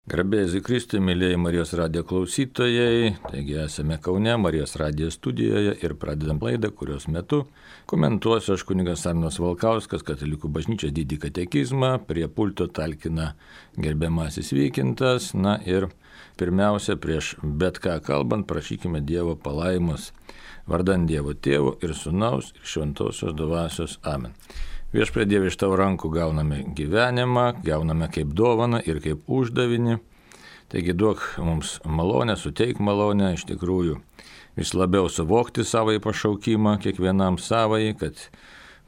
Garbėjai Kristui, mėlyjei Marijos radijo klausytojai, taigi esame Kaune, Marijos radijo studijoje ir pradedam laidą, kurios metu komentuosiu aš kunigas Arnas Valkauskas, Katalikų bažnyčios didį katekizmą, prie pulto talkina gerbiamasis Vykintas, na ir pirmiausia, prieš bet ką kalbant, prašykime Dievo palaimos, vardan Dievo Tėvo ir Sūnaus ir Šventosios Dvasios. Amen. Viešpatie Dieve, iš tavo rankų gauname gyvenimą, gauname kaip dovaną ir kaip uždavinį. Taigi duok mums malonę, suteik malonę, iš tikrųjų vis labiau suvokti savąjį pašaukimą, kiekvienam savąjį, kad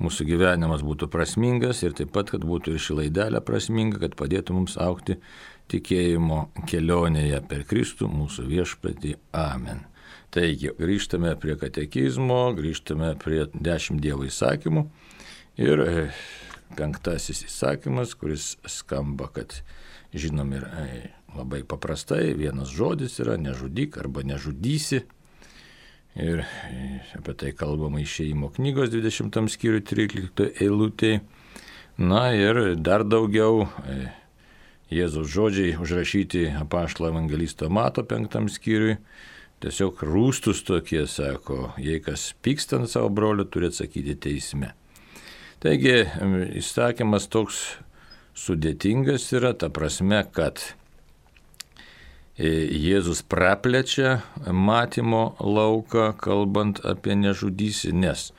mūsų gyvenimas būtų prasmingas ir taip pat, kad būtų ir ši laidelė prasminga, kad padėtų mums augti tikėjimo kelionėje per Kristų mūsų viešpatį. Amen. Taigi, grįžtame prie katekizmo, grįžtame prie 10 Dievo įsakymų. Ir 5 įsakymas, kuris skamba, kad žinom ir labai paprastai, vienas žodis yra nežudyk arba nežudysi. Ir apie tai kalbama Išėjimo knygos 20 skyriui 13 eilutėje. Na ir dar daugiau Jėzaus žodžiai užrašyti apaštalo evangelisto Mato 5 skyriui. Tiesiog rūstus tokie, sako, jei kas pyksta ant savo brolio, turi atsakyti teisme. Taigi įsakymas toks sudėtingas yra, ta prasme, kad Jėzus praplečia matymo lauką, kalbant apie nežudysį, nes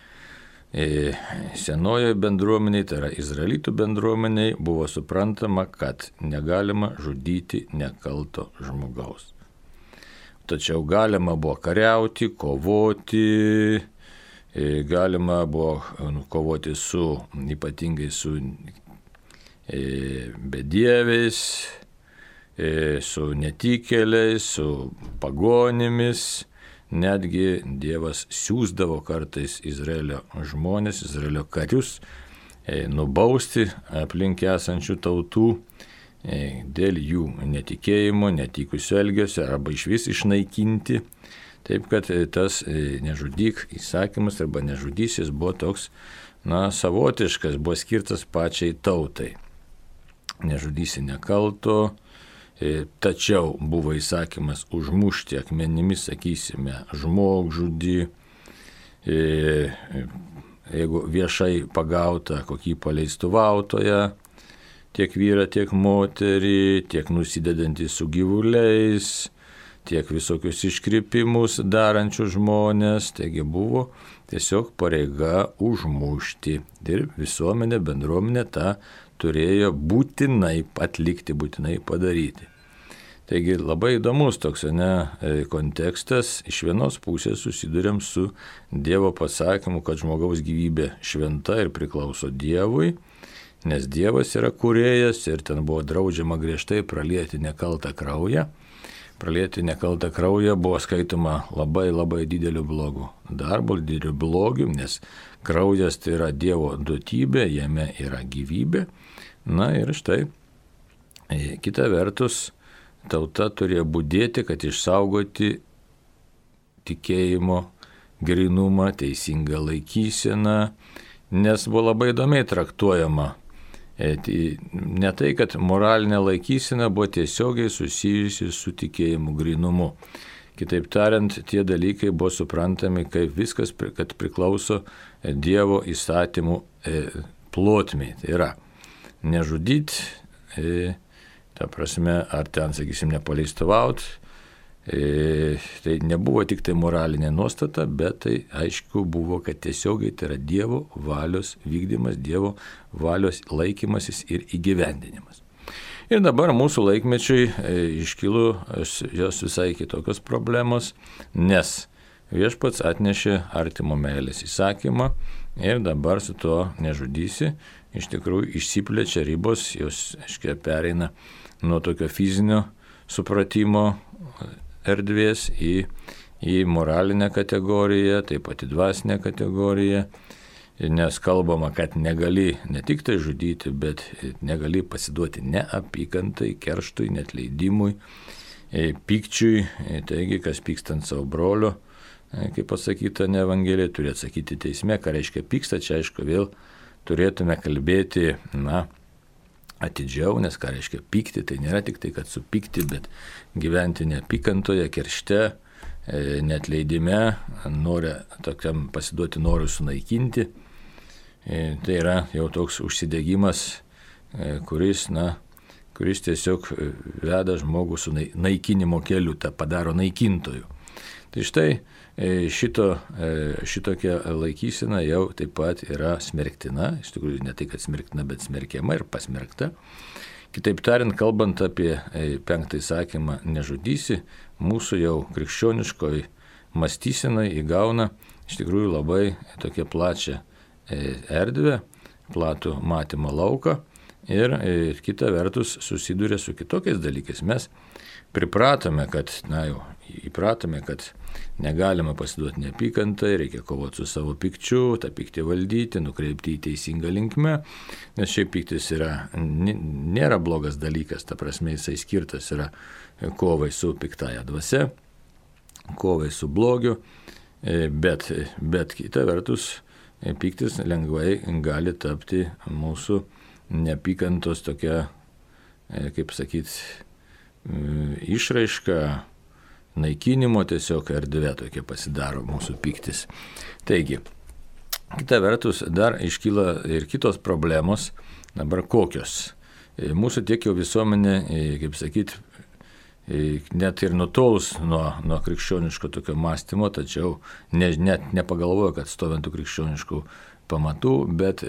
senojoje bendruomeniai, tai yra izraelitų bendruomeniai, buvo suprantama, kad negalima žudyti nekalto žmogaus. Tačiau galima buvo kariauti, kovoti, galima buvo kovoti ypatingai su bedieviais, su netikėliais, su pagonimis. Netgi Dievas siųsdavo kartais Izraelio žmonės, Izraelio karius nubausti aplink esančių tautų dėl jų netikėjimo, netikusio elgesio arba išvis išnaikinti. Taip kad tas nežudyk įsakymas arba nežudysis buvo toks, savotiškas, buvo skirtas pačiai tautai. Nežudysi nekalto, tačiau buvo įsakymas užmušti akmenimis, sakysime, žmogžudį, jeigu viešai pagauta kokį paleistuvautoją, tiek vyrą, tiek moterį, tiek nusidedantį su gyvuliais, tiek visokius iškrypimus darančių žmonės, taigi buvo tiesiog pareiga užmušti. Ir visuomenė, bendruomenė tą turėjo būtinai atlikti, būtinai padaryti. Taigi labai įdomus toks kontekstas. Iš vienos pusės susiduriam su Dievo pasakymu, kad žmogaus gyvybė šventa ir priklauso Dievui, nes Dievas yra kūrėjas ir ten buvo draudžiama griežtai pralieti nekaltą kraują. Pralieti nekaltą kraują buvo skaitoma labai dideliu blogu darbu, dideliu blogiu, nes kraujas tai yra Dievo duotybė, jame yra gyvybė. Na ir štai, kita vertus, tauta turėjo budėti, kad išsaugoti tikėjimo grynumą, teisingą laikyseną, nes buvo labai įdomiai traktuojama. Ne tai, kad moralinė laikysena buvo tiesiogiai susijusi su tikėjimu grynumu. Kitaip tariant, tie dalykai buvo suprantami kaip viskas, kad priklauso Dievo įstatymų plotmei. Tai yra nežudyti, ta prasme, ar ten, sakysim, nepaleistuvaut. Tai nebuvo tik tai moralinė nuostata, bet tai aišku buvo, kad tiesiogiai tai yra Dievo valios vykdymas, Dievo valios laikymasis ir įgyvendinimas. Ir dabar mūsų laikmečiui iškilo jos visai kitokios problemos, nes viešpats atnešė artimo meilės įsakymą ir dabar su tuo nežudysi, iš tikrųjų išsiplečia ribos, jos, aiškiai, pereina nuo tokio fizinio supratimo erdvės į moralinę kategoriją, taip pat į dvasinę kategoriją, nes kalbama, kad negali ne tik tai žudyti, bet negali pasiduoti neapykantai, kerštui, neatleidimui, pykčiui. Taigi, kas pyksta ant savo brolio, kaip pasakyta ne Evangelijoje, turi atsakyti teisme. Ką reiškia pyksta, čia aišku vėl turėtume kalbėti, atidžiau, nes ką reiškia pykti, tai nėra tik tai, kad supykti, bet gyventi neapykantoje, keršte, neatleidime, nori tokiam pasiduoti norui sunaikinti. Tai yra jau toks užsidegimas, kuris tiesiog veda žmogų su naikinimo keliu, tą padaro naikintoju. Tai štai šitokia laikysena jau taip pat yra smerktina, iš tikrųjų ne tai, kad smerktina, bet smerkiama ir pasmerkta. Kitaip tariant, kalbant apie 5 įsakymą nežudysi, mūsų jau krikščioniškoji mąstysena įgauna iš tikrųjų labai tokią plačią erdvę, platų matymo lauką ir kita vertus susiduria su kitokiais dalykais. Mes įpratome, kad negalima pasiduoti neapykantai, reikia kovoti su savo pykčiu, tą pyktį valdyti, nukreipti į teisingą linkmę, nes šiaip pyktis nėra blogas dalykas, ta prasme jisai skirtas yra kovai su piktaja dvasia, kovai su blogiu, bet kita vertus pyktis lengvai gali tapti mūsų neapykantos tokia, kaip sakyti, išraiška, naikinimo tiesiog erdvė tokia pasidaro mūsų pyktis. Taigi, kita vertus dar iškyla ir kitos problemos, dabar kokios. Mūsų tiek jau visuomenė, kaip sakyti, net ir nutolus nuo krikščioniško tokio mąstymo, tačiau net nepagalvoja, kad stovintų krikščioniškų pamatų, bet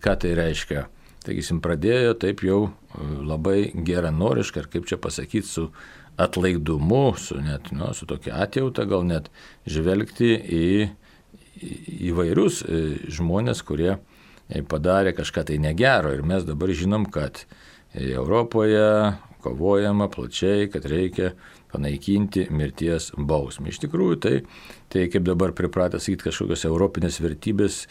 ką tai reiškia? Taigi, pradėjo taip jau labai geranoriškai, ar kaip čia pasakyti, su atlaidumu, su tokia atjauta gal net žvelgti į įvairius žmonės, kurie padarė kažką tai negero. Ir mes dabar žinom, kad Europoje kovojama plačiai, kad reikia panaikinti mirties bausmę. Iš tikrųjų, tai kaip dabar pripratę sakyti kažkokios europinės vertybės,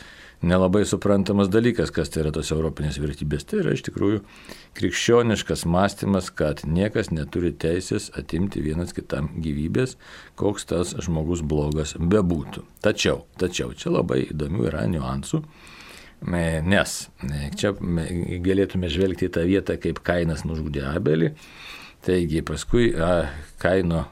nelabai suprantamas dalykas, kas tai yra tos europinės vertybės. Tai yra iš tikrųjų krikščioniškas mąstymas, kad niekas neturi teisės atimti vienas kitam gyvybės, koks tas žmogus blogas bebūtų. Tačiau čia labai įdomių yra niuansų, nes čia galėtume žvelgti į tą vietą, kaip Kainas nužudė Abelį. Taigi paskui Kaino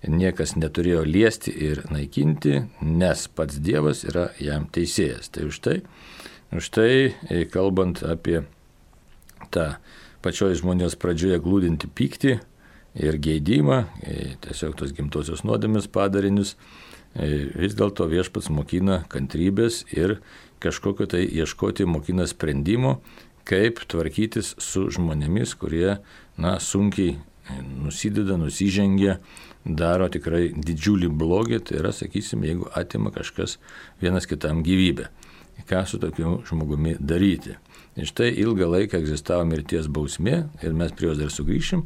niekas neturėjo liesti ir naikinti, nes pats Dievas yra jam teisėjas. Tai už tai kalbant apie tą pačioj žmonijos pradžioje glūdinti pyktį ir geidimą, tiesiog tos gimtosios nuodėmės padarinius, vis dėlto viešpats mokina kantrybės ir kažkokio tai ieškoti mokina sprendimo, kaip tvarkytis su žmonėmis, kurie sunkiai nusideda, nusižengia, daro tikrai didžiulį blogį, tai yra, sakysim, jeigu atima kažkas vienas kitam gyvybę. Ką su tokiu žmogumi daryti? Ir štai ilgą laiką egzistavo mirties bausmė ir mes prie jos dar sugrįšim,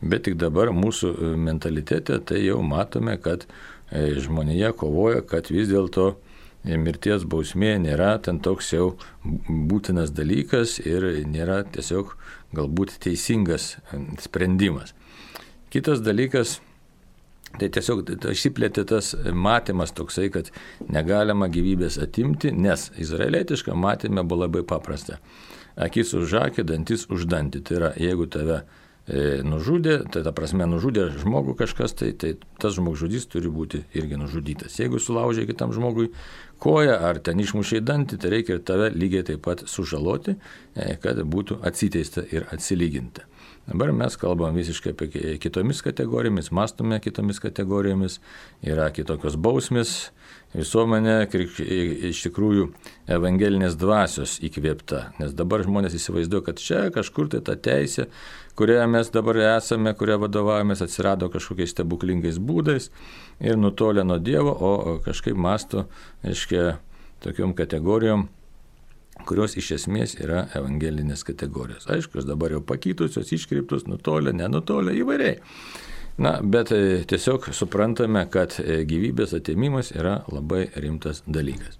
bet tik dabar mūsų mentalitete tai jau matome, kad žmonėje kovoja, kad vis dėlto mirties bausmė nėra ten toks jau būtinas dalykas ir nėra tiesiog galbūt teisingas sprendimas. Kitas dalykas, tai tiesiog išsiplėtė tas matymas toksai, kad negalima gyvybės atimti, nes izraelietiška matyme buvo labai paprasta. Akis už akį, dantis už dantį. Tai yra, jeigu tave nužudė, tai ta prasme nužudė žmogų kažkas, tai tas žmogžudys turi būti irgi nužudytas. Jeigu sulaužė kitam žmogui koją ar ten išmušė dantį, tai reikia ir tave lygiai taip pat sužaloti, kad būtų atsiteista ir atsilyginta. Dabar mes kalbam visiškai apie kitomis kategorijomis, mąstome kitomis kategorijomis, yra kitokios bausmės, visuomenė iš tikrųjų evangelinės dvasios įkvėpta, nes dabar žmonės įsivaizduoja, kad čia kažkur tai ta teisė, kurioje mes dabar esame, kuria vadovavomės, atsirado kažkokiais stebuklingais būdais ir nutolė nuo Dievo, o kažkaip mąsto, reiškia, tokiom kategorijom, kurios iš esmės yra evangelinės kategorijos. Aišku, jos dabar jau pakytusios, iškreiptos, nutolę, nenutolę, įvairiai. Bet tiesiog suprantame, kad gyvybės atėmimas yra labai rimtas dalykas.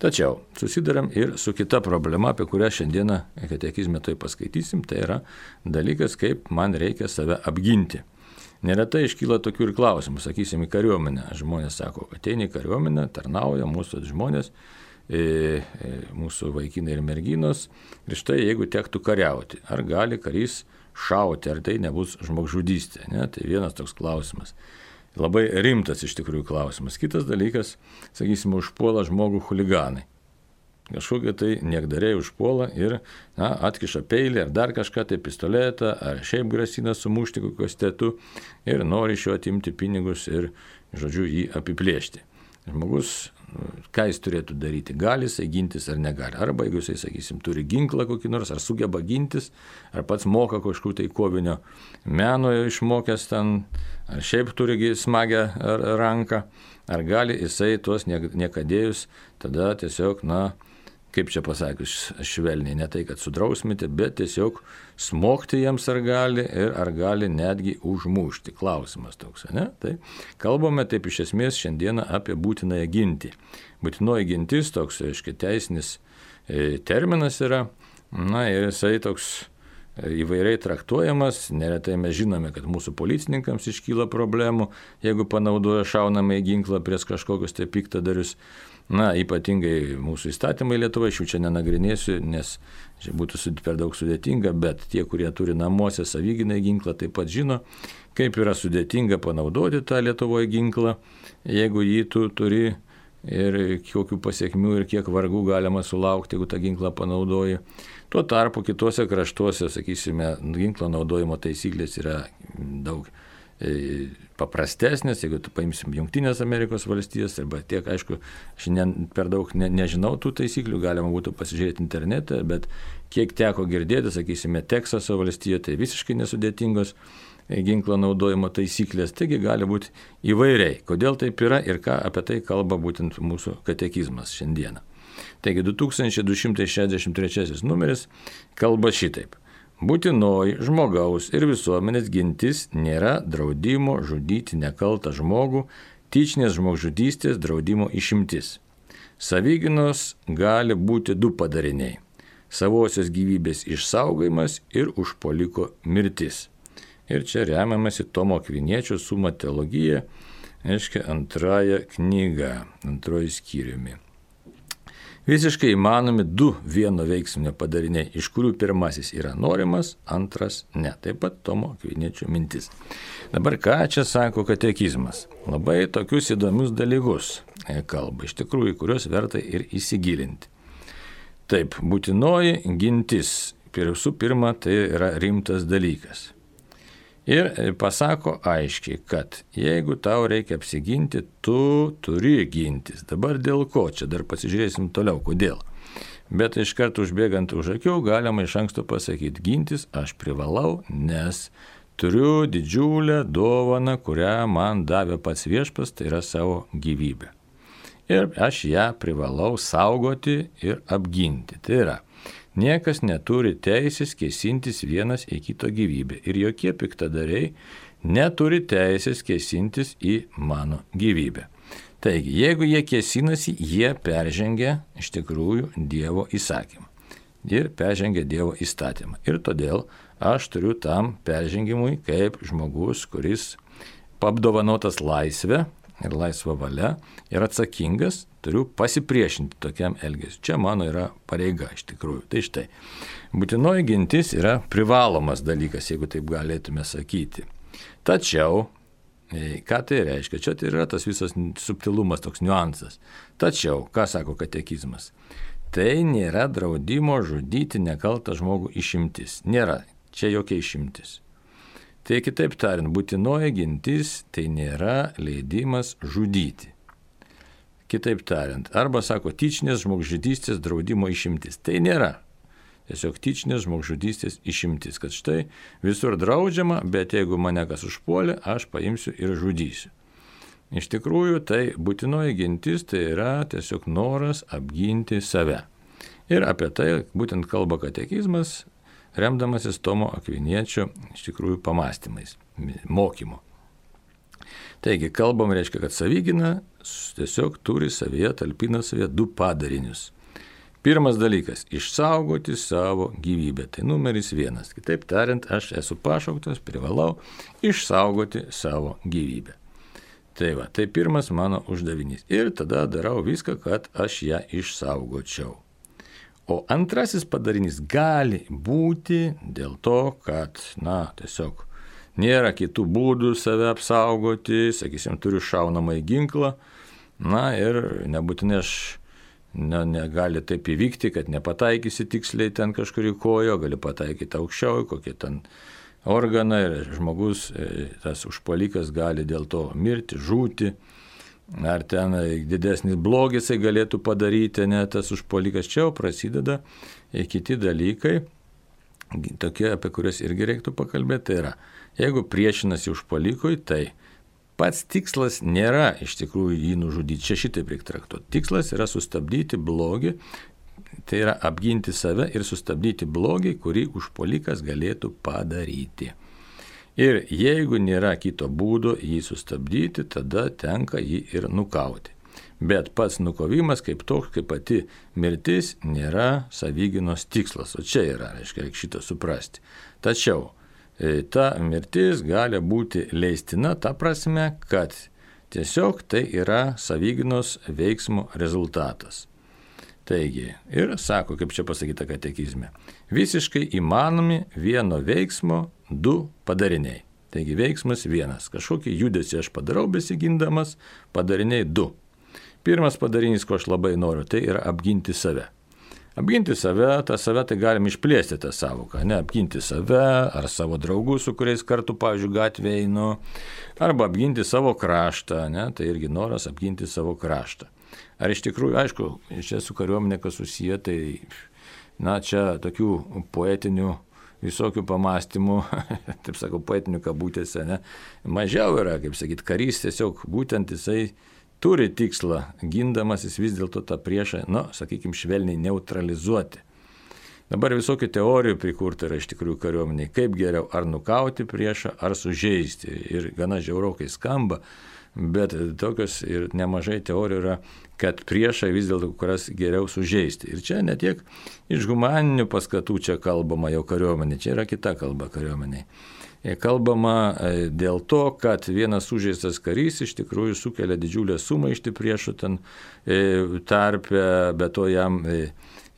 Tačiau susidaram ir su kita problema, apie kurią šiandieną katekizme tai paskaitysim, tai yra dalykas, kaip man reikia save apginti. Neretai iškyla tokių ir klausimų, sakysim, į kariuomenę. Žmonės sako, ateina į kariuomenę, tarnauja mūsų žmonės, mūsų vaikinai ir merginos. Ir štai jeigu tektų kariauti, ar gali karys šauti, ar tai nebus žmogžudystė, ne? Tai vienas toks klausimas. Labai rimtas iš tikrųjų klausimas. Kitas dalykas, sakysime, užpuola žmogų chuliganai. Kažkokie tai niekdariai užpuola ir atkiša peilį ar dar kažką, tai pistoletą, ar šiaip grasina sumušti kokiu kastetu ir nori iš jo atimti pinigus ir, žodžiu, jį apiplėšti. Žmogus, ką jis turėtų daryti? Gali jisai gintis ar negali? Arba jeigu jisai, sakysim, turi ginklą kokį nors, ar sugeba gintis, ar pats moka kažkur tai kovinio meno išmokęs ten, ar šiaip turi smagią ranką, ar gali jisai tuos niekadėjus tada tiesiog, kaip čia pasakius, švelniai, ne tai, kad sudrausmyti, bet tiesiog smogti jiems ar gali ir ar gali netgi užmušti. Klausimas toks, ne? Tai kalbame taip iš esmės šiandieną apie būtinąją gintį. Būtinoji gintis toks, aiškiai, teisinis terminas yra, ir jisai toks įvairiai traktuojamas. Neretai mes žinome, kad mūsų policininkams iškyla problemų, jeigu panaudoja šaunamąjį ginklą prieš kažkokius tai piktadarius. Ypatingai mūsų įstatymai Lietuvoje, šių čia nenagrinėsiu, nes čia būtų per daug sudėtinga, bet tie, kurie turi namuose savigynai ginklą, taip pat žino, kaip yra sudėtinga panaudoti tą Lietuvoje ginklą, jeigu jį tu turi ir kokių pasiekmių ir kiek vargų galima sulaukti, jeigu tą ginklą panaudoji. Tuo tarpu kitose kraštuose, sakysime, ginklo naudojimo taisyklės yra daug paprastesnės, jeigu tu paimsim Jungtinės Amerikos valstijas, arba tiek, aišku, šiandien per daug nežinau tų taisyklių, galima būtų pasižiūrėti internete, bet kiek teko girdėti, sakysime, Teksaso valstijoje, tai visiškai nesudėtingos ginklo naudojimo taisyklės, taigi gali būti įvairiai. Kodėl taip yra ir ką apie tai kalba būtent mūsų katekizmas šiandieną. Taigi 2263 numeris kalba šitaip. Būtinoji žmogaus ir visuomenės gintis nėra draudimo žudyti nekaltą žmogų, tyčinės žmogžudystės draudimo išimtis. Savigynos gali būti du padariniai – savosios gyvybės išsaugojimas ir užpuoliko mirtis. Ir čia remiamasi Tomo Akviniečio Summa Theologiae, reiškia antrąją knygą, antroji skyriumi. Visiškai įmanomi du vieno veiksminio padariniai, iš kurių pirmasis yra norimas, antras ne. Taip pat Tomo Akviniečio mintis. Dabar ką čia sako katekizmas? Labai tokius įdomius dalykus kalba, iš tikrųjų, kuriuos verta ir įsigilinti. Taip, būtinoji gintis, visų pirma, tai yra rimtas dalykas. Ir pasako aiškiai, kad jeigu tau reikia apsiginti, tu turi gintis. Dabar dėl ko? Čia dar pasižiūrėsim toliau, kodėl. Bet iš karto užbėgant už akių galima iš anksto pasakyti, gintis aš privalau, nes turiu didžiulę dovaną, kurią man davė pats Viešpats, tai yra savo gyvybę. Ir aš ją privalau saugoti ir apginti. Tai yra, niekas neturi teisės kėsintis vienas į kito gyvybę. Ir jokie piktadariai neturi teisės kėsintis į mano gyvybę. Taigi, jeigu jie kėsinasi, jie peržengia iš tikrųjų Dievo įsakymą. Ir peržengia Dievo įstatymą. Ir todėl aš turiu tam peržengimui kaip žmogus, kuris apdovanotas laisvę ir laisva valia ir atsakingas, turiu pasipriešinti tokiam elgesiu. Čia mano yra pareiga iš tikrųjų. Tai štai, būtinoji gintis yra privalomas dalykas, jeigu taip galėtume sakyti. Tačiau, ką tai reiškia? Čia tai yra tas visas subtilumas, toks niuansas. Tačiau, ką sako katekizmas? Tai nėra draudimo žudyti nekaltą žmogų išimtis. Nėra. Čia jokia išimtis. Tai kitaip tariant, būtinoji gintis tai nėra leidimas žudyti. Kitaip tariant, arba sako tyčinės žmogžudystės draudimo išimtis. Tai nėra. Tiesiog tyčinės žmogžudystės išimtis, kad štai visur draudžiama, bet jeigu mane kas užpuolė, aš paimsiu ir žudysiu. Iš tikrųjų, tai būtinoji gintis tai yra tiesiog noras apginti save. Ir apie tai būtent kalba katekizmas, remdamasis Tomo Akviniečio iš tikrųjų pamastymais, mokymu. Taigi, kalbam reiškia, kad savigyna tiesiog turi savyje, talpina savyje du padarinius. Pirmas dalykas – išsaugoti savo gyvybę. Tai numeris 1. Kitaip tariant, aš esu pašauktas, privalau išsaugoti savo gyvybę. Tai pirmas mano uždavinys. Ir tada darau viską, kad aš ją išsaugočiau. O antrasis padarinys gali būti dėl to, kad, tiesiog nėra kitų būdų save apsaugoti, sakysim, turiu šaunamąjį ginklą, ir nebūtinai negali taip įvykti, kad nepataikysi tiksliai ten kažkurį kojo, gali pataikyti aukščiau, kokie ten organą ir žmogus, tas užpuolikas gali dėl to mirti, žūti, ar ten didesnis blogis jisai galėtų padaryti, tas užpuolikas. Čia jau prasideda kiti dalykai, tokie, apie kuriuos irgi reiktų pakalbėti. Tai yra, jeigu priešinasi užpuolikui, tai pats tikslas nėra iš tikrųjų jį nužudyti. Čia šitaip reikia traktuoti. Tikslas yra sustabdyti blogį, tai yra apginti save ir sustabdyti blogį, kurį užpuolikas galėtų padaryti. Ir jeigu nėra kito būdo jį sustabdyti, tada tenka jį ir nukauti. Bet pats nukovimas kaip toks, kaip pati mirtis, nėra savygynos tikslas. O čia yra, reikia šitą suprasti. Tačiau ta mirtis gali būti leistina ta prasme, kad tiesiog tai yra savygynos veiksmo rezultatas. Taigi, ir sako, kaip čia pasakyta katekizme, visiškai įmanomi vieno veiksmo du padariniai. Taigi veiksmas vienas, kažkokį judesį aš padarau besigindamas, padariniai du. Pirmas padarinys, ko aš labai noriu, tai yra apginti save. Apginti save, tą save tai galim išplėsti tą savoką, apginti save ar savo draugus, su kuriais kartu, pavyzdžiui, gatvėje einu, arba apginti savo kraštą, tai irgi noras apginti savo kraštą. Ar iš tikrųjų, aišku, čia su kariuomenė kas susiję, tai, čia tokių poetinių visokių pamastymų, taip sakau, poetinių kabutėse, mažiau yra, kaip sakyti, karys tiesiog būtent jisai turi tikslą, gindamasis vis dėlto tą priešą, sakykime, švelniai neutralizuoti. Dabar visokių teorijų prikurta yra iš tikrųjų kariuomeniai, kaip geriau ar nukauti priešą, ar sužeisti. Ir gana žiaurokai skamba, bet tokios ir nemažai teorijų yra, kad priešą vis dėlto kurias geriau sužeisti. Ir čia ne tiek iš humaninių paskatų čia kalbama jau kariuomenė, čia yra kita kalba kariuomeniai. Kalbama dėl to, kad vienas sužeistas karys iš tikrųjų sukelia didžiulę sumaištį priešų ten tarpe, bet to jam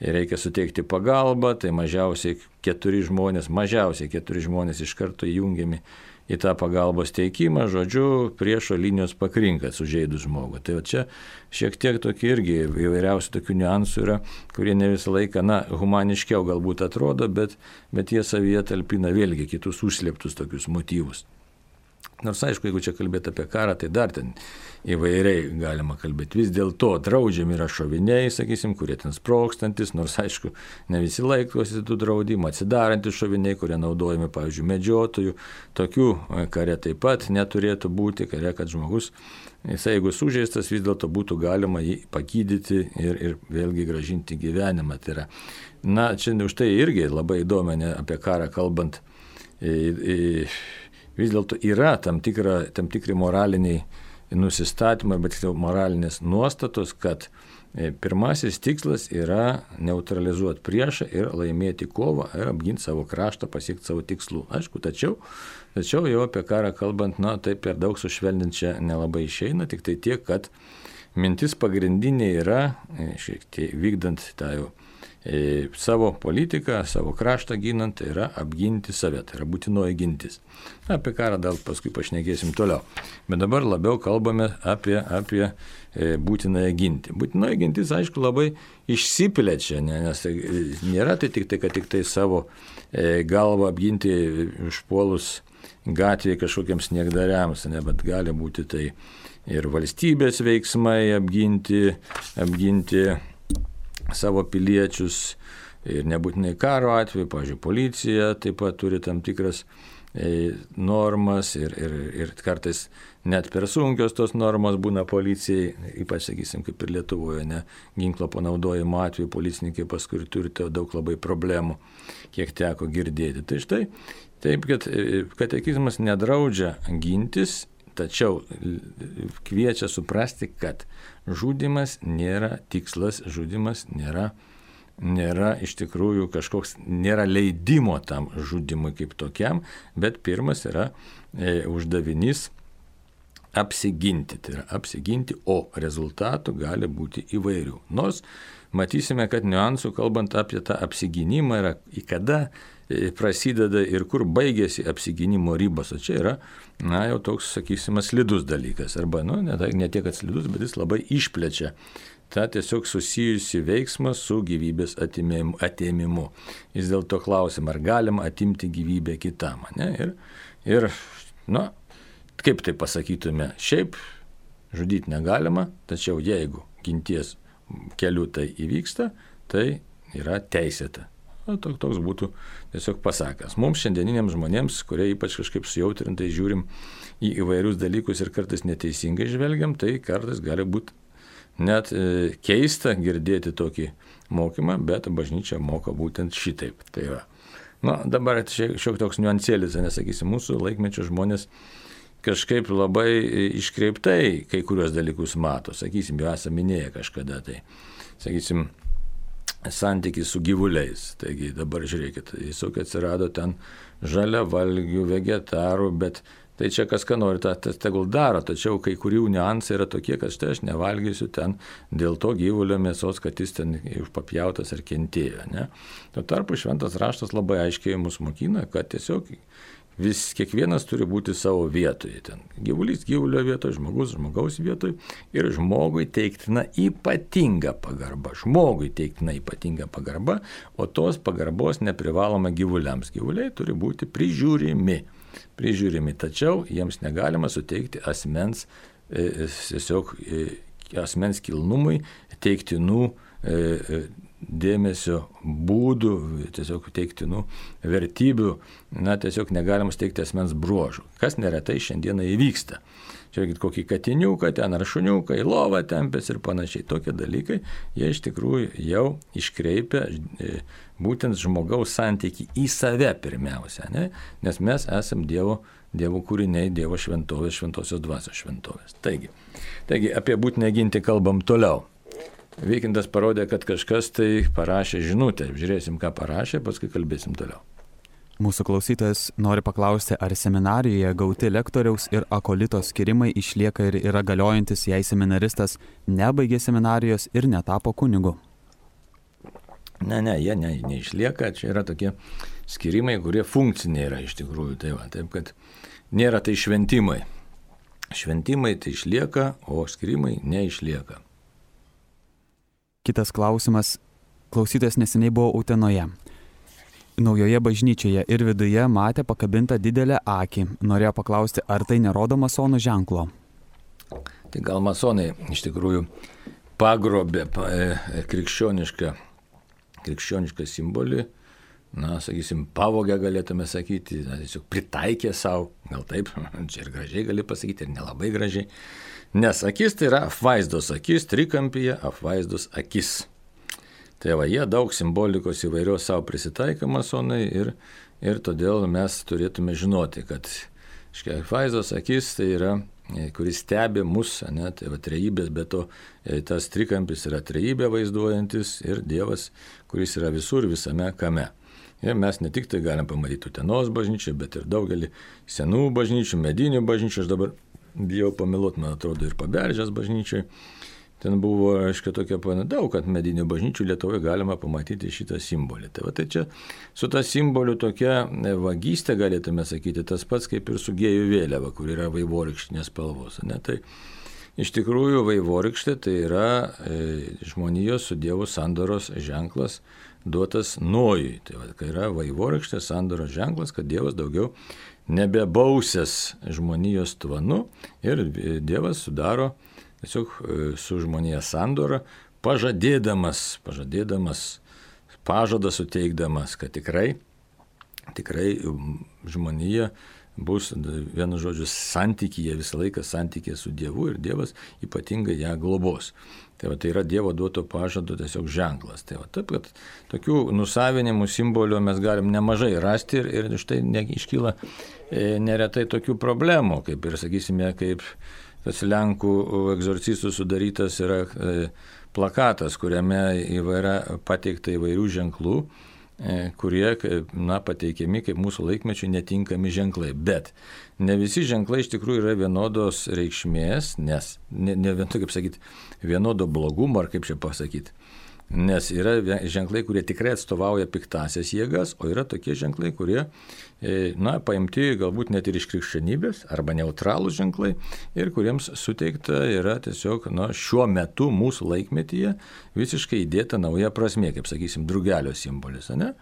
reikia suteikti pagalbą, tai mažiausiai 4 žmonės iš karto įjungiami į tą pagalbos teikimą, žodžiu, priešo linijos pakrinka sužeidus žmogų. Tai čia šiek tiek tokie irgi įvairiausių tokių niuansų yra, kurie ne visą laiką, humaniškiau galbūt atrodo, bet jie savyje talpina vėlgi kitus užslėptus tokius motyvus. Nors aišku, jeigu čia kalbėti apie karą, tai dar ten įvairiai galima kalbėti. Vis dėlto draudžiami yra šoviniai, sakysim, kurie ten sprogstantis, nors aišku, ne visi laikosi tų draudimų, atsidarantys šoviniai, kurie naudojami, pavyzdžiui, medžiotojų. Tokių kare taip pat neturėtų būti, kare, kad žmogus, jeigu sužeistas, vis dėlto būtų galima jį pagydyti ir vėlgi gražinti gyvenimą. Tai yra, čia už tai irgi labai įdomu, apie karą kalbant, vis dėlto yra tam tikri moraliniai nusistatymai, bet moralinės nuostatos, kad pirmasis tikslas yra neutralizuoti priešą ir laimėti kovą ir apginti savo kraštą, pasiekti savo tikslų. Aišku, tačiau jau apie karą kalbant, taip per daug sušvelninti čia nelabai išeina, tik tai tiek, kad mintis pagrindinė yra, šiek tiek vykdant tą jau savo politiką, savo kraštą ginant, tai yra apginti save, tai yra būtinoji gintis. Apie karą dar paskui pašnekėsim toliau. Bet dabar labiau kalbame apie būtinąją gintį. Būtinoji gintis, aišku, labai išsiplečia, nes tai nėra tai tik tai, kad tik tai savo galvą apginti užpuolus gatvėje kažkokiems niekdariams, bet gali būti tai ir valstybės veiksmai apginti savo piliečius ir nebūtinai karo atveju, pavyzdžiui, policija taip pat turi tam tikras normas ir kartais net per sunkios tos normos būna policijai, ypač, sakysim, kaip ir Lietuvoje, ginklo panaudojimo atveju policininkai paskui turi daug labai problemų, kiek teko girdėti. Tai štai, taip, kad katekizmas nedraudžia gintis, tačiau kviečia suprasti, kad žudymas nėra tikslas, žudymas nėra iš tikrųjų kažkoks, nėra leidimo tam žudymui kaip tokiam, bet pirmas yra uždavinys apsiginti. Tai yra apsiginti, o rezultatų gali būti įvairių. Nors matysime, kad niuansų, kalbant apie tą apsigynimą, yra į kada prasideda ir kur baigėsi apsigynimo ribos. O čia yra, jau toks, sakysime, slidus dalykas. Arba, ne tiek, kad slidus, bet jis labai išplečia tą tiesiog susijusi veiksmą su gyvybės atėmimu. Jis dėl to klausim, ar galima atimti gyvybę kitam. Ne? Ir kaip tai pasakytume, šiaip žudyti negalima, tačiau jeigu ginties keliu tai įvyksta, tai yra teisėta. Toks būtų tiesiog pasakas. Mums šiandieniniams žmonėms, kurie ypač kažkaip sujautrintai žiūrim į įvairius dalykus ir kartais neteisingai žvelgiam, tai kartais gali būti net keista girdėti tokį mokymą, bet bažnyčia moka būtent šitaip. Tai yra. Dabar šiek toks niuansėlis, nesakysim, mūsų laikmečio žmonės kažkaip labai iškreiptai kai kurios dalykus mato. Sakysim, jau esame minėję kažkada, tai sakysim, santykis su gyvuliais. Taigi dabar žiūrėkit, visokių atsirado ten žaliavalgių, vegetarų, bet tai čia kas ką nori, tas tegul daro, tačiau kai kurių niuansai yra tokie, kad štai aš nevalgysiu ten dėl to gyvulio mėsos, kad jis ten papjautas ar kentėjo. Ne? Tuo tarpu šventas raštas labai aiškiai mus mokina, kad tiesiog kiekvienas turi būti savo vietoje. Ten gyvulys gyvulio vietoje, žmogus žmogaus vietoje ir žmogui teiktina ypatinga pagarba. Žmogui teiktina ypatinga pagarba, o tos pagarbos neprivaloma gyvuliams. Gyvuliai turi būti prižiūrimi, tačiau jiems negalima suteikti asmens kilnumui teiktinų dėmesio būdų, tiesiog teiktinų vertybių, tiesiog negalima steigti asmens bruožų, kas neretai šiandieną įvyksta. Žiūrėkit, kokį katiniuką ten ar šuniuką į lovą tempės ir panašiai. Tokie dalykai, jie iš tikrųjų jau iškreipia būtent žmogaus santykį į save pirmiausia, ne? Nes mes esam Dievo kūriniai, Dievo šventovės, šventosios dvasios šventovės. Taigi apie būtinę ginti kalbam toliau. Vykintas parodė, kad kažkas tai parašė žinutę. Žiūrėsim, ką parašė, paskui kalbėsim toliau. Mūsų klausytojas nori paklausti, ar seminarijoje gauti lektoriaus ir akolito skirimai išlieka ir yra galiojantis, jei seminaristas nebaigė seminarijos ir netapo kunigu. Ne, jie neišlieka. Čia yra tokie skirimai, kurie funkciniai yra iš tikrųjų. Taip, kad nėra tai šventimai. Šventimai tai išlieka, o skirimai neišlieka. Kitas klausimas. Klausytojas neseniai buvo Utenoje. Naujoje bažnyčioje ir viduje matė pakabintą didelę akį. Norėjo paklausti, ar tai nerodo masonų ženklo? Tai gal masonai iš tikrųjų pagrobė krikščionišką simbolį, sakysim, pavogę galėtume sakyti, tiesiog pritaikė savo, gal taip, čia ir gražiai gali pasakyti, ir nelabai gražiai. Nes akis tai yra apvaizdos akis, trikampyje apvaizdos akis. Tai jie daug simbolikos įvairios savo prisitaiko masonai ir todėl mes turėtume žinoti, kad apvaizdos akis tai yra, kuris stebi mus, tai trejybės, bet to tas trikampis yra trejybė vaizduojantis ir Dievas, kuris yra visur visame kame. Ir mes ne tik tai galim pamatyti Utenos bažnyčią, bet ir daugelį senų bažnyčių, medinių bažnyčių, aš dabar bijau pameluoti, man atrodo, ir Paberžės bažnyčiai. Ten buvo, tokia daug, kad medinių bažnyčių Lietuvoje galima pamatyti šitą simbolį. Tai čia su ta simboliu tokia vagystė, galėtume sakyti, tas pats kaip ir su gėjų vėliava, kur yra vaivorykštinės spalvos. Tai iš tikrųjų vaivorykštė tai yra žmonijos su Dievu sandoros ženklas duotas Nojui. Tai yra vaivorykštė sandoros ženklas, kad Dievas daugiau nebebausęs žmonijos tvanu ir Dievas sudaro tiesiog su žmonija sandorą, pažadėdamas, pažadą suteikdamas, kad tikrai žmonija bus, vienu žodžiu, santykyje, visą laiką santykyje su Dievu ir Dievas ypatingai ją globos. Tai yra Dievo duoto pažado tiesiog ženklas. Taip, kad tokių nusavinimų simbolių mes galim nemažai rasti ir štai iškyla neretai tokių problemų, kaip ir, sakysime, kaip tas Lenkų egzorcistų sudarytas yra plakatas, kuriame pateikta įvairių ženklų kurie pateikiami kaip mūsų laikmečių netinkami ženklai. Bet ne visi ženklai iš tikrųjų yra vienodos reikšmės, nes vienodo blogumo, ar kaip čia pasakyti. Nes yra ženklai, kurie tikrai atstovauja piktasias jėgas, o yra tokie ženklai, kurie paimti galbūt net ir iš krikščionybės arba neutralūs ženklai ir kuriems suteikta yra tiesiog šiuo metu mūsų laikmetyje visiškai įdėta nauja prasmė, kaip sakysim, drugelio simbolis. Ne?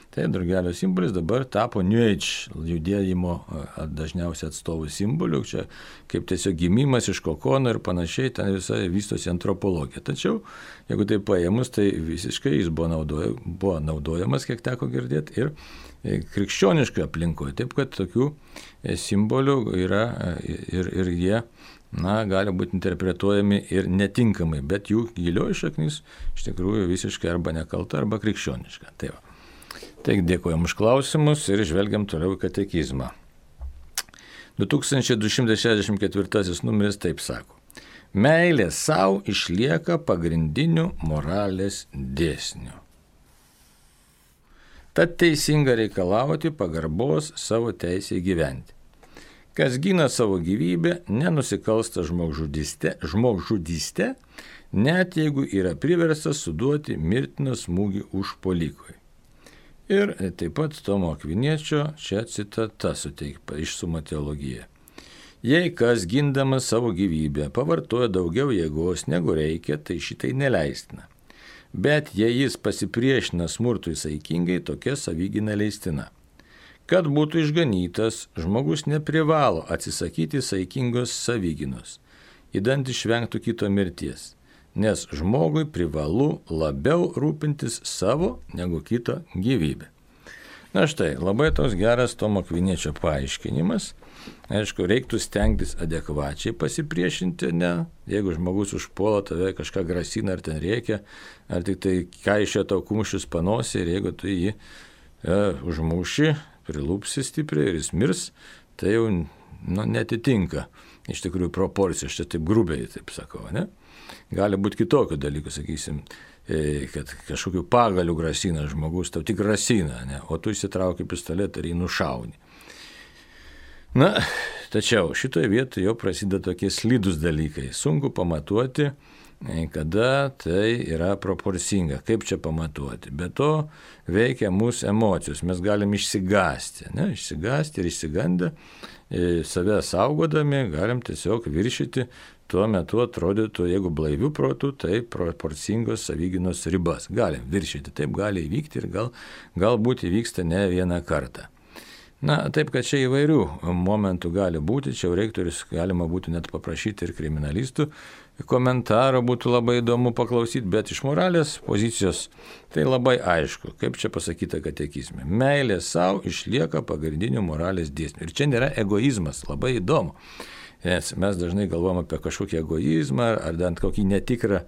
Tai drugelio simbolis dabar tapo New Age judėjimo dažniausiai atstovų simboliu, čia kaip tiesiog gimimas iš kokono ir panašiai, ten visai vystosi antropologija. Tačiau, jeigu tai paėmus, tai visiškai jis buvo naudojamas, kiek teko girdėti, ir krikščioniškai aplinkoje. Taip, kad tokių simbolių yra ir jie gali būti interpretuojami ir netinkamai, bet jų gilioji šaknis iš tikrųjų visiškai arba nekalta, arba krikščioniška. Tai va. Taigi dėkojam už klausimus ir žvelgiam toliau į katekizmą. 2264 numeris taip sako. Meilė savo išlieka pagrindiniu moralės dėsniu. Tad teisinga reikalauti pagarbos savo teisėje gyventi. Kas gina savo gyvybę, nenusikalsta žmogžudyste, net jeigu yra priverstas suduoti mirtiną smūgį užpuolikui. Ir taip pat Tomo Akviniečio čia citata suteikta iš Suma teologija. Jei kas gindamas savo gyvybę pavartoja daugiau jėgos negu reikia, tai šitai neleistina. Bet jei jis pasipriešina smurtui saikingai, tokia savygyna leistina. Kad būtų išganytas, žmogus neprivalo atsisakyti saikingos savygynos, idant išvengtų kito mirties. Nes žmogui privalu labiau rūpintis savo negu kito gyvybę. Na štai, labai toks geras Tomo Akviniečio paaiškinimas. Aišku, reiktų stengtis adekvačiai pasipriešinti, ne? Jeigu žmogus užpuola tave, kažką grasina ar ten reikia, ar tik tai kaišia tau kumščius panosį ir jeigu tu jį užmuši, prilūpsi stipriai ir jis mirs, tai jau netitinka iš tikrųjų proporcijos, aš čia taip grubiai taip sakau, ne? Gali būti kitokių dalykų, sakysim, kad kažkokių pagalių grasina žmogus, tau tik grasina, ne? O tu išsitrauki pistoletą ir jį nušauni. Na, tačiau šitoje vietoje jau prasideda tokie slidūs dalykai. Sunku pamatuoti, kada tai yra proporcinga. Kaip čia pamatuoti? Be to veikia mūsų emocijos. Mes galim išsigąsti, ne? Išsigąsti ir išsigandę, save saugodami, galim tiesiog viršyti tuo metu atrodytų, jeigu blaivių protų, tai proporcingos savygynos ribas. Galim viršyti, taip gali įvykti ir galbūt įvyksta ne vieną kartą. Na, taip, kad čia įvairių momentų gali būti, čia reiktų ir galima būtų net paprašyti ir kriminalistų komentaro, būtų labai įdomu paklausyti, bet iš moralės pozicijos tai labai aišku, kaip čia pasakyta katekizme. Meilė savo išlieka pagrindiniu moralės dėsniu. Ir čia nėra egoizmas, labai įdomu. Nes mes dažnai galvom apie kažkokį egoizmą ar bent kokį netikrą,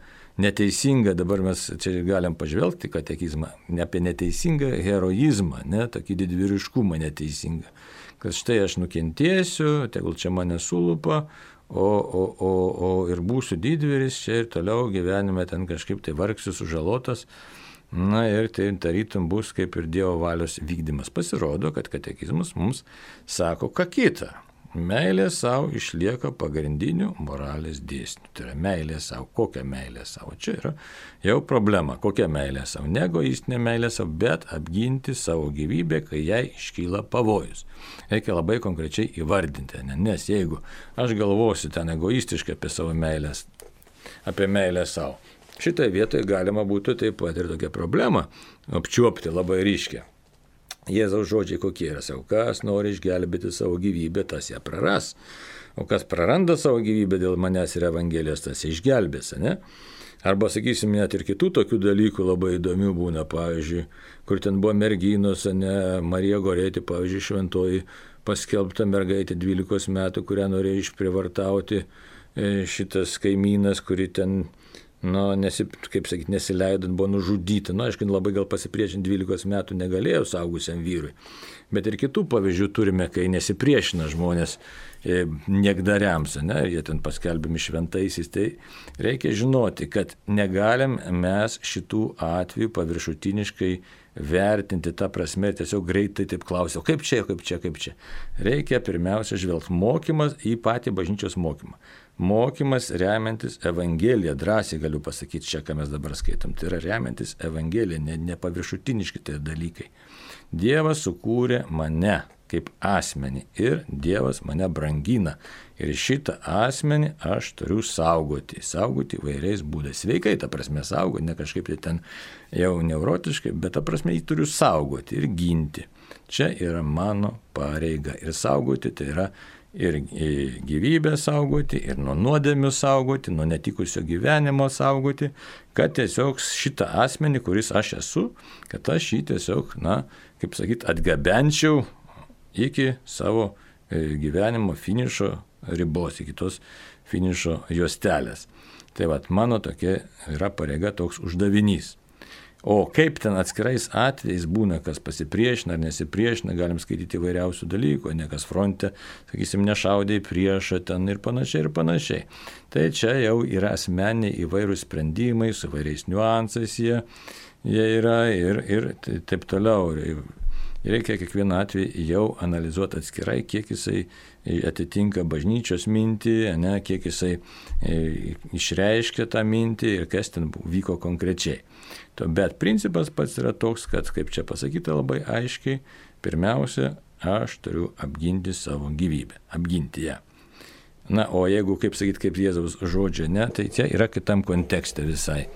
neteisingą, dabar mes čia galim pažvelgti katekizmą, ne apie neteisingą heroizmą, ne, tokį didvyriškumą neteisingą. Kad štai aš nukentėsiu, tegul čia mane sulupa, o ir būsiu didvyris čia ir toliau gyvenime ten kažkaip tai vargsiu sužalotas. Na ir tai tarytum bus kaip ir Dievo valios vykdymas. Pasirodo, kad katekizmas mums sako ką kitą. Meilė savo išlieka pagrindiniu moralės dėsniu. Tai yra meilė savo. Kokia meilė savo? Čia yra jau problema. Kokia meilė savo? Ne egoistinė meilė savo, bet apginti savo gyvybę, kai jai iškyla pavojus. Reikia labai konkrečiai įvardinti. Nes jeigu aš galvosiu ten egoistiškai apie meilę savo, šitoje vietoje galima būtų taip pat ir tokią problemą apčiuopti labai ryškiai. Jėzaus žodžiai kokie yra, savo, kas nori išgelbėti savo gyvybę, tas ją praras, o kas praranda savo gyvybę dėl manęs ir Evangelijos, tas ją išgelbės, ne? Arba, sakysim, net ir kitų tokių dalykų labai įdomių būna, pavyzdžiui, kur ten buvo merginos, ne, Marija Gorėti, pavyzdžiui, šventoji paskelbta mergaitė 12 metų, kurią norėjo išprivartauti šitas kaimynas, kuri ten nesileidant buvo nužudyta. Aišku, labai gal pasipriešinti 12 metų negalėjo saugusiam vyrui. Bet ir kitų pavyzdžių turime, kai nesipriešina žmonės niekdariams, ne, jie ten paskelbiami šventaisiais, tai reikia žinoti, kad negalim mes šitų atvejų paviršutiniškai vertinti tą prasme, tiesiog greitai taip klausiau, kaip čia. Reikia pirmiausia žvelgti mokymas į patį bažnyčios mokymą. Mokymas remiantis Evangeliją, drąsiai galiu pasakyti čia, ką mes dabar skaitom, tai yra remiantis Evangeliją, ne paviršutiniški tai dalykai. Dievas sukūrė mane kaip asmenį ir Dievas mane brangina. Ir šitą asmenį aš turiu saugoti įvairiais būdais. Sveikai, ta prasme, saugoti, ne kažkaip tai ten jau neurotiškai, bet ta prasme jį turiu saugoti ir ginti. Čia yra mano pareiga. Ir saugoti tai yra ir gyvybę saugoti, ir nuo nuodėmių saugoti, nuo netikusio gyvenimo saugoti, kad tiesiog šitą asmenį, kuris aš esu, kad aš jį tiesiog, kaip sakyti, atgabenčiau iki savo gyvenimo finišo ribos, iki tos finišo juostelės. Tai mano tokia yra pareiga, toks uždavinys. O kaip ten atskirais atvejais būna, kas pasipriešina ar nesipriešina, galim skaityti įvairiausių dalykų, ne kas fronte, sakysim, nešaudė į priešą ten ir panašiai. Tai čia jau yra asmeniniai įvairūs sprendimai, su įvairiais niuansais jie yra ir taip toliau. Reikia kiekvieną atvejį jau analizuoti atskirai, kiek jisai atitinka bažnyčios mintį, kiek jisai išreiškia tą mintį ir kas ten vyko konkrečiai. Bet principas pats yra toks, kad, kaip čia pasakyta labai aiškiai, pirmiausia, aš turiu apginti savo gyvybę, apginti ją. O jeigu, kaip sakyti, kaip Jėzaus žodžio, tai čia yra kitam kontekste visai,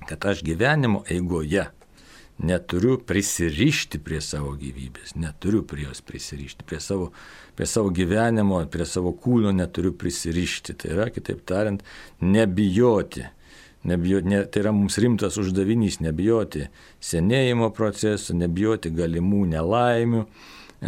kad aš gyvenimo eigoje neturiu prisirišti prie savo gyvybės, neturiu prie jos prisirišti, prie savo gyvenimo, prie savo kūno neturiu prisirišti. Tai yra, kitaip tariant, nebijoti. Tai yra mums rimtas uždavinys, nebijoti senėjimo procesų, nebijoti galimų nelaimių.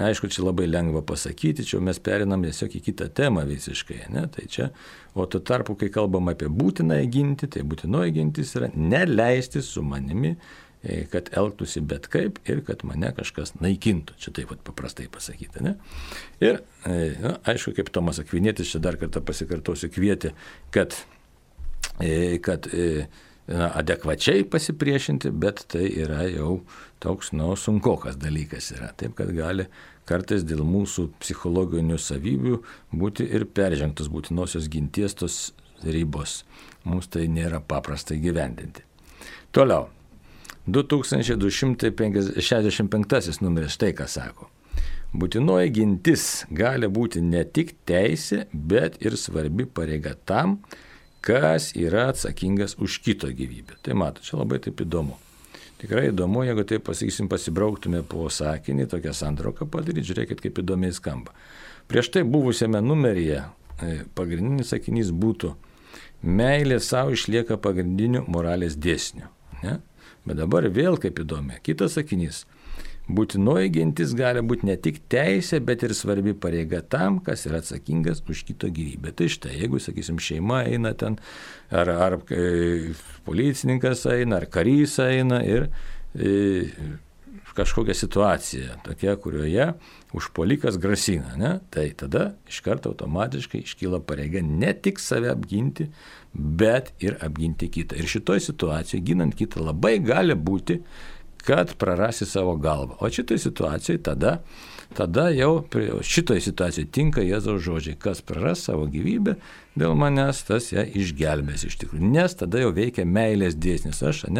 Aišku, čia labai lengva pasakyti, čia mes perinam tiesiog į kitą temą visiškai. Tai čia, o tuo tarpu, kai kalbam apie būtinąją ginti, tai būtinoji gintis yra neleisti su manimi, kad elgtųsi bet kaip ir kad mane kažkas naikintų. Čia taip paprastai pasakyta. Ir, aišku, kaip Tomas Akvinietis, čia dar kartą pasikartosiu, kvietė, kad adekvačiai pasipriešinti, bet tai yra jau toks, sunkokas dalykas yra. Taip, kad gali kartais dėl mūsų psichologinių savybių būti ir peržengtos būtinosios ginties tos ribos. Mums tai nėra paprastai gyvendinti. Toliau. 2265 numeris štai ką sako. Būtinoji gintis gali būti ne tik teisė, bet ir svarbi pareiga tam, kas yra atsakingas už kito gyvybę. Tai mato, čia labai taip įdomu. Tikrai įdomu, jeigu taip pasakysim, pasibrauktume po sakinį, tokią santrauką padaryti, žiūrėkit, kaip įdomiai skamba. Prieš tai buvusiame numeryje pagrindinis sakinys būtų meilė savo išlieka pagrindiniu moralės dėsniu. Bet dabar vėl kaip įdomi. Kitas sakinys. Būtinoji gintis gali būti ne tik teisė, bet ir svarbi pareiga tam, kas yra atsakingas už kito gyvybę. Tai štai, jeigu, sakysim, šeima eina ten, ar policininkas eina, ar karys eina ir kažkokia situacija tokia, kurioje užpuolikas grasina, tai tada iš karto automatiškai iškyla pareiga ne tik save apginti, bet ir apginti kitą. Ir šitoj situacijoje, ginant kitą, labai gali būti, kad prarasi savo galvą. O šitoj situacijoje tada jau šitoj situacijoje tinka Jėzaus žodžiai, kas praras savo gyvybę dėl manęs, tas ją išgelbės iš tikrųjų. Nes tada jau veikia meilės dėsnis. Aš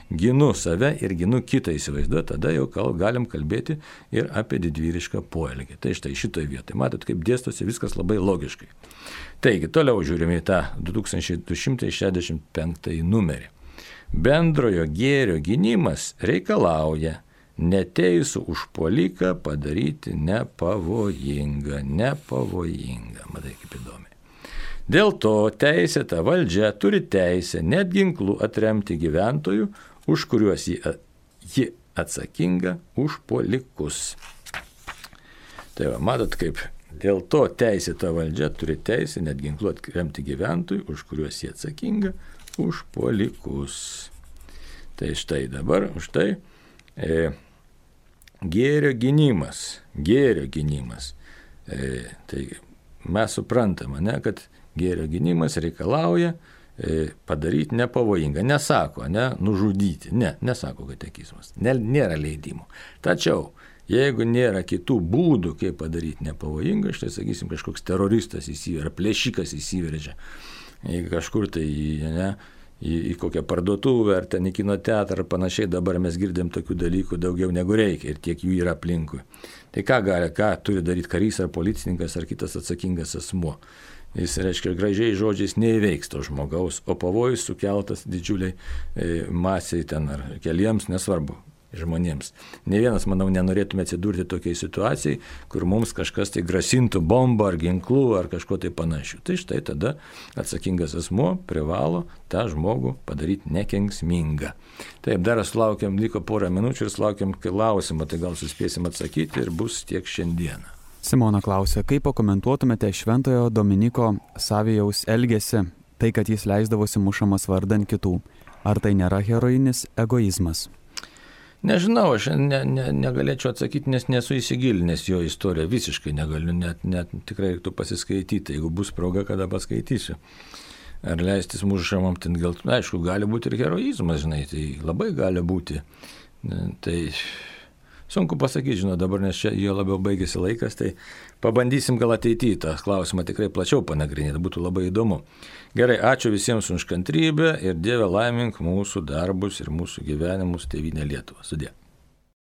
ginu save ir ginu kitą, įsivaizduoju, tada jau galim kalbėti ir apie didvyrišką poelgį. Tai štai šitoj vietoje. Matot, kaip dėstosi viskas labai logiškai. Taigi, toliau žiūrime į tą 2265 numerį. Bendrojo gėrio gynimas reikalauja neteisų užpuoliką padaryti nepavojingą. Matai, kaip įdomiai. Dėl to teisėta valdžia turi teisę net ginklų atremti gyventojų, už kuriuos ji atsakinga užpuolikus. Tai matot, kaip dėl to teisėta valdžia turi teisę net ginklų atremti gyventojų, už kuriuos ji atsakinga užpuolikus. Tai štai dabar už tai gėrio gynimas. Tai mes suprantame, ne, kad gėrio gynimas reikalauja padaryti nepavojingą. Nesako, nužudyti. Nesako katekizmas. Nėra leidimų. Tačiau, jeigu nėra kitų būdų, kaip padaryti nepavojingą, štai, sakysim, kažkoks teroristas įsiveržia, plėšikas įsiveržia, kažkur tai į kokią parduotuvę, ar ten į kino teatrą, ar panašiai, dabar mes girdėm tokių dalykų daugiau negu reikia ir tiek jų yra aplinkui. Tai ką turi daryti karys, ar policininkas, ar kitas atsakingas asmuo? Jis, reiškia, gražiai žodžiais neįveiks to žmogaus, o pavojus sukeltas didžiuliai masiai ten ar keliems, nesvarbu, žmonėms. Ne vienas, manau, nenorėtume atsidurti tokiai situacijai, kur mums kažkas tai grasintų bombą ar ginklų ar kažko tai panašių. Tai štai tada atsakingas asmuo privalo tą žmogų padaryti nekenksmingą. Taip, dar sulaukiam, liko porą minučių ir sulaukiam klausimą, tai gal suspėsim atsakyti ir bus tiek šiandieną. Simona klausia, kaip pakomentuotumėte Šventojo Dominiko Savijaus elgesį, tai, kad jis leisdavosi mušamas vardan kitų. Ar tai nėra herojinis egoizmas? Nežinau, aš negalėčiau atsakyti, nes nesu įsigilinęs jo istoriją, visiškai negaliu, net tikrai reiktų pasiskaityti, jeigu bus proga, kada paskaitysiu. Ar leistis mušamam, ten gal, aišku, gali būti ir heroizmas, žinai, tai labai gali būti. Tai sunku pasakyti, dabar, nes čia jo labiau baigėsi laikas, tai pabandysim gal ateityje tą klausimą tikrai plačiau panagrinėti, būtų labai įdomu. Gerai, ačiū visiems už kantrybę ir Dieve laimink mūsų darbus ir mūsų gyvenimus, Tėvynė Lietuva. Sudie.